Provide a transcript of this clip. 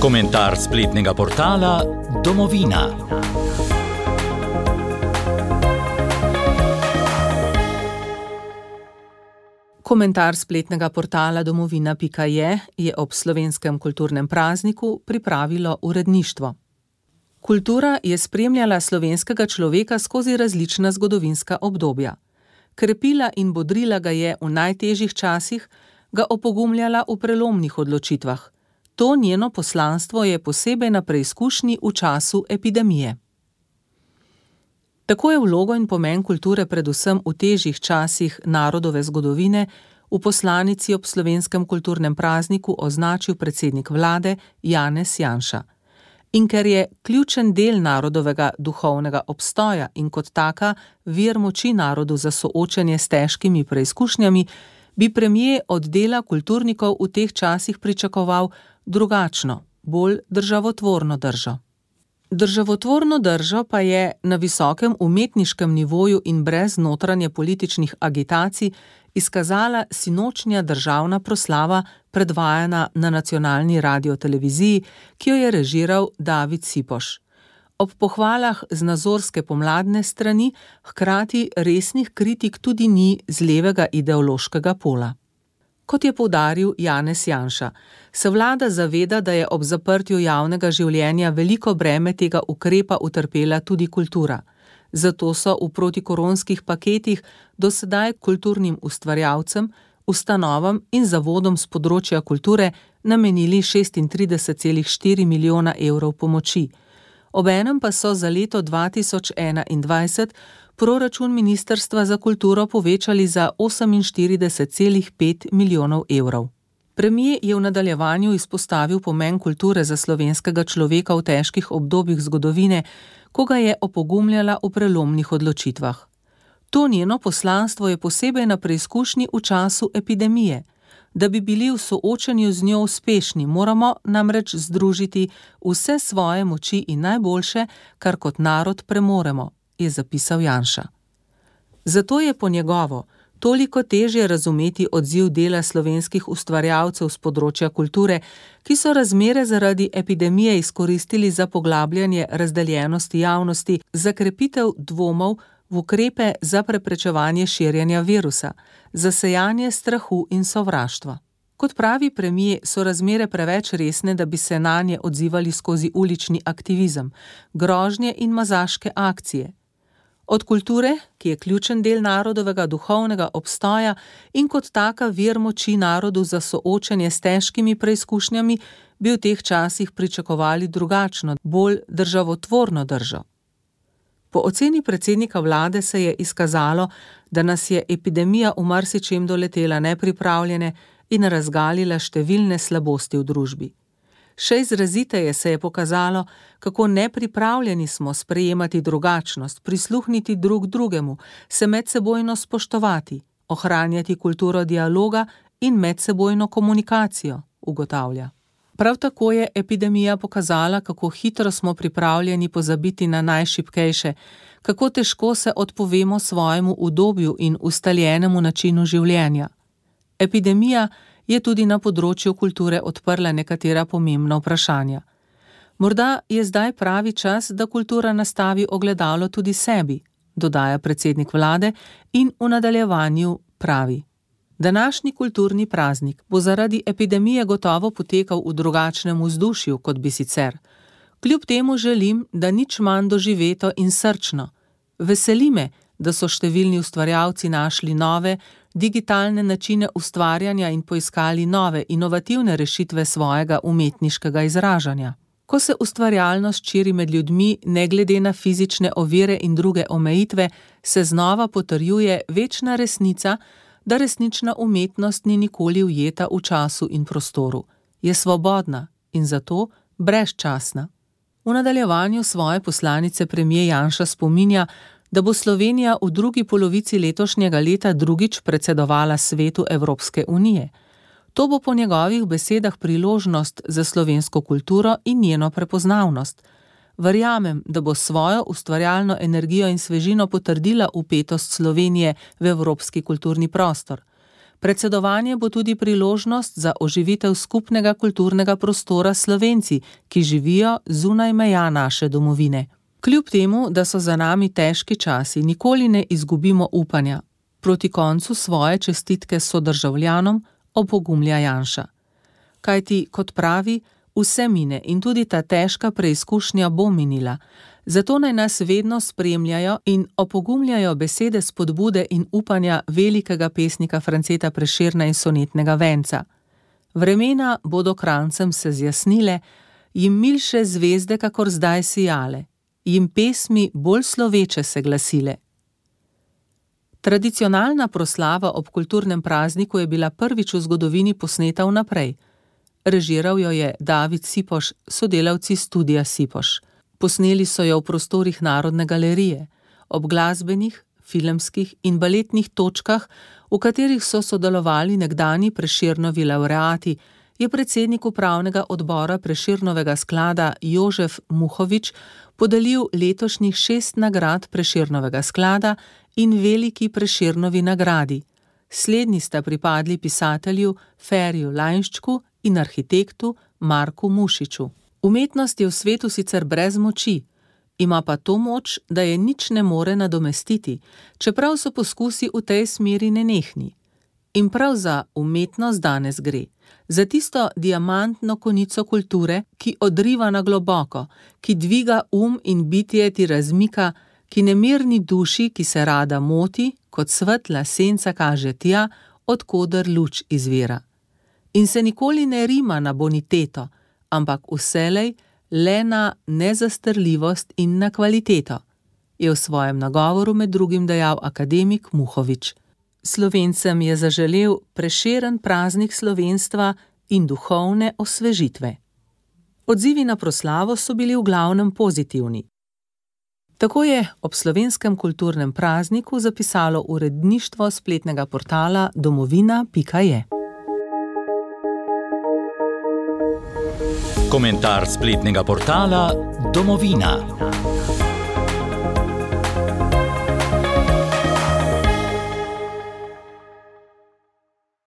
Komentar spletnega portala Domovina. Komentar spletnega portala domovina.je je ob slovenskem kulturnem prazniku pripravilo uredništvo. Kultura je spremljala slovenskega človeka skozi različna zgodovinska obdobja. Krepila in bodrila ga je v najtežjih časih, ga opogumljala v prelomnih odločitvah. To njeno poslanstvo je posebej na preizkušnji v času epidemije. Tako je vlogo in pomen kulture predvsem v težjih časih narodove zgodovine v poslanici ob slovenskem kulturnem prazniku označil predsednik vlade Janez Janša. In ker je ključen del narodovega duhovnega obstoja in kot taka vir moči narodu za soočenje s težkimi preizkušnjami, bi premier od dela kulturnikov v teh časih pričakoval drugačno, bolj državotvorno držo. Državotvorno držo pa je na visokem umetniškem nivoju in brez notranje političnih agitacij izkazala sinočnja državna proslava predvajana na nacionalni radioteleviziji, ki jo je režiral David Sipoš. Ob pohvalah z nazorske pomladne strani hkrati resnih kritik tudi ni z levega ideološkega pola. Kot je poudaril Janez Janša, se vlada zaveda, da je ob zaprtju javnega življenja veliko breme tega ukrepa utrpela tudi kultura. Zato so v protikoronskih paketih do sedaj kulturnim ustvarjalcem, ustanovam in zavodom z področja kulture namenili 36,4 milijona evrov pomoči. Obenem pa so za leto 2021 proračun Ministrstva za kulturo povečali za 48,5 milijonov evrov. Premier je v nadaljevanju izpostavil pomen kulture za slovenskega človeka v težkih obdobjih zgodovine, ko ga je opogumljala v prelomnih odločitvah. To njeno poslanstvo je posebej na preizkušnji v času epidemije. Da bi bili v soočanju z njo uspešni, moramo namreč združiti vse svoje moči in najboljše, kar kot narod premoremo, je zapisal Janša. Zato je po njegovo toliko težje razumeti odziv dela slovenskih ustvarjalcev z področja kulture, ki so razmere zaradi epidemije izkoristili za poglabljanje razdeljenosti javnosti, za krepitev dvomov v ukrepe za preprečevanje širjenja virusa, za sejanje strahu in sovraštva. Kot pravi premier, so razmere preveč resne, da bi se nanje odzivali skozi ulični aktivizem, grožnje in mazaške akcije. Od kulture, ki je ključen del narodovega duhovnega obstoja in kot taka vir moči narodu za soočenje s težkimi preizkušnjami, bi v teh časih pričakovali drugačno, bolj državotvorno držo. Po oceni predsednika vlade se je izkazalo, da nas je epidemija v marsičem doletela nepripravljene in razgalila številne slabosti v družbi. Še izraziteje se je pokazalo, kako nepripravljeni smo sprejemati drugačnost, prisluhniti drug drugemu, se medsebojno spoštovati, ohranjati kulturo dialoga in medsebojno komunikacijo, ugotavlja. Prav tako je epidemija pokazala, kako hitro smo pripravljeni pozabiti na najšibkejše, kako težko se odpovemo svojemu udobju in ustaljenemu načinu življenja. Epidemija je tudi na področju kulture odprla nekatera pomembna vprašanja. Morda je zdaj pravi čas, da kultura nastavi ogledalo tudi sebi, dodaja predsednik vlade in v nadaljevanju pravi. Današnji kulturni praznik bo zaradi epidemije gotovo potekal v drugačnem vzdušju, kot bi sicer. Kljub temu želim, da nič manj doživeto in srčno. Veseli me, da so številni ustvarjalci našli nove, digitalne načine ustvarjanja in poiskali nove, inovativne rešitve svojega umetniškega izražanja. Ko se ustvarjalnost širi med ljudmi, ne glede na fizične ovire in druge omejitve, se znova potrjuje večna resnica, da resnična umetnost ni nikoli ujeta v času in prostoru. Je svobodna in zato brezčasna. V nadaljevanju svoje poslanice premier Janša spominja, da bo Slovenija v drugi polovici letošnjega leta drugič predsedovala Svetu Evropske unije. To bo po njegovih besedah priložnost za slovensko kulturo in njeno prepoznavnost. Verjamem, da bo svojo ustvarjalno energijo in svežino potrdila vpetost Slovenije v evropski kulturni prostor. Predsedovanje bo tudi priložnost za oživitev skupnega kulturnega prostora s Slovenci, ki živijo zunaj meja naše domovine. Kljub temu, da so za nami težki časi, nikoli ne izgubimo upanja. Proti koncu svoje čestitke sodržavljanom opogumlja Janša. Kajti, kot pravi, vse mine in tudi ta težka preizkušnja bo minila. Zato naj nas vedno spremljajo in opogumljajo besede spodbude in upanja velikega pesnika Franceta Prešerna in sonetnega venca. Vremena bodo Kranjcem se zjasnile, jim milše zvezde, kakor zdaj sijale, jim pesmi bolj sloveče se glasile. Tradicionalna proslava ob kulturnem prazniku je bila prvič v zgodovini posneta vnaprej. Režiral jo je David Sipoš, sodelavci Studia Sipoš. Posneli so jo v prostorih Narodne galerije, ob glasbenih, filmskih in baletnih točkah, v katerih so sodelovali nekdanji Prešernovi lavreati, je predsednik upravnega odbora Prešernovega sklada Jožef Muhovič podelil letošnjih 6 nagrad Prešernovega sklada in veliki Prešernovi nagradi. Slednji sta pripadli pisatelju Feriju Lainščku in arhitektu Marku Mušiču. Umetnost je v svetu sicer brez moči, ima pa to moč, da je nič ne more nadomestiti, čeprav so poskusi v tej smeri nenehni. In prav za umetnost danes gre, za tisto diamantno konico kulture, ki odriva na globoko, ki dviga in bitje ti razmika, ki nemirni duši, ki se rada moti, kot svetla senca kaže tja, od koder luč izvira. In se nikoli ne rima na boniteto, ampak vselej le na nezastrljivost in na kvaliteto, je v svojem nagovoru med drugim dejal akademik Muhovič. Slovencem je zaželel Prešeren praznik slovenstva in duhovne osvežitve. Odzivi na proslavo so bili v glavnem pozitivni. Tako je ob slovenskem kulturnem prazniku zapisalo uredništvo spletnega portala domovina.je. Komentar spletnega portala Domovina.